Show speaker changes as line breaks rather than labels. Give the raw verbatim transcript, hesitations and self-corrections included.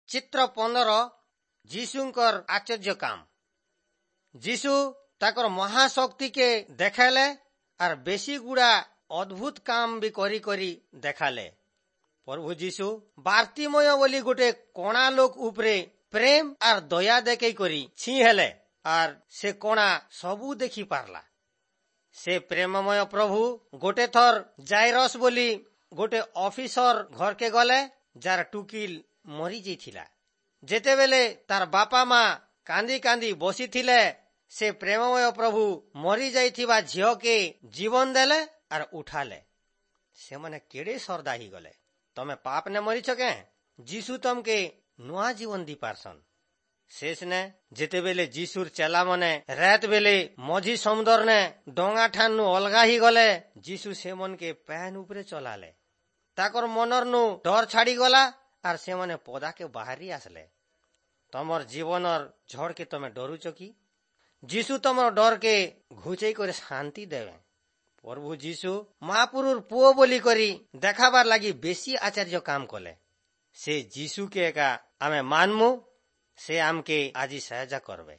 ଚିତ୍ର ପନ୍ଦର ଯୀଶୁଙ୍କର ଆଶ୍ଚର୍ଯ୍ୟ କାମ ଯୀଶୁ ତାଙ୍କର ମହାଶକ୍ତିକେ ଦେଖାଲେ ଆର୍ ବେଶୀ ଗୁଡା ଅଦ୍ଭୁତ କାମ ବି କରି କରି ଦେଖାଲେ ପ୍ରଭୁ ଯୀଶୁ ବାର୍ତ୍ତିମୟ ବୋଲି ଗୋଟେ କଣା ଲୋକ ଉପରେ ପ୍ରେମ ଆର୍ ଦୟା ଦେଖେଇ କରି ଛି ହେଲେ ଆର୍ ସେ କଣା ସବୁ ଦେଖି ପାରଲା ସେ ପ୍ରେମମୟ ପ୍ରଭୁ ଗୋଟେ ଥର ଜାଇରସ୍ ବୋଲି ଗୋଟେ ଅଫିସର ଘରକେ ଗଲେ ଯାର ଟୁକିଲ ମରି ଯାଇଥିଲା ଯେତେବେଲେ ତାର ବାପା ମା କାନ୍ଦି କାନ୍ଦି ବସିଥିଲେ ସେ ପ୍ରେମମୟ ପ୍ରଭୁ ମରି ଯାଇଥିବା ଝିଅକେ ଜୀବନ ଦେଲେ ଆର୍ ଉଠାଲେ ସେମାନେ କେଡେ ସର୍ଦା ହେଇଗଲେ ତମେ ପାପ ନେ ମରିଛ କେଁ ଯୀଶୁ ତମକେ ନୂଆ ଜୀବନ ଦି ପାରସନ୍ ଶେଷ ନେ ଯେତେବେଲେ ଯୀଶୁର ଚେଲା ମାନେ ରାତ ବେଲେ ମଝି ସମୁଦର ନେ ଡଙ୍ଗା ଠାନୁ ଅଲଗା ହେଇଗଲେ ଯୀଶୁ ସେମନକେ ପାଏନ୍ ଉପରେ ଚଲାଲେ ତାକର ମନର ନୁ ଡର ଛାଡି ଗଲା ଆର୍ ସେମାନେ ପଦାକେ ବାହାରି ଆସିଲେ ତମର ଜୀବନର ଝଡ଼କେ ତମେ ଡରୁଛ କି ଯୀଶୁ ତମର ଡରକେ ଘୁଚେଇ କରି ଶାନ୍ତି ଦେବେ ପ୍ରଭୁ ଯୀଶୁ ମହାପୁରୁର ପୁଅ ବୋଲି କରି ଦେଖାବାର ଲାଗି ବେଶୀ ଆଶ୍ଚର୍ଯ୍ୟ କାମ କଲେ ସେ ଯୀଶୁକେ ଏକା ଆମେ ମାନମୁ ସେ ଆମକେ ଆଜି ସାହାଯ୍ୟ କରବେ।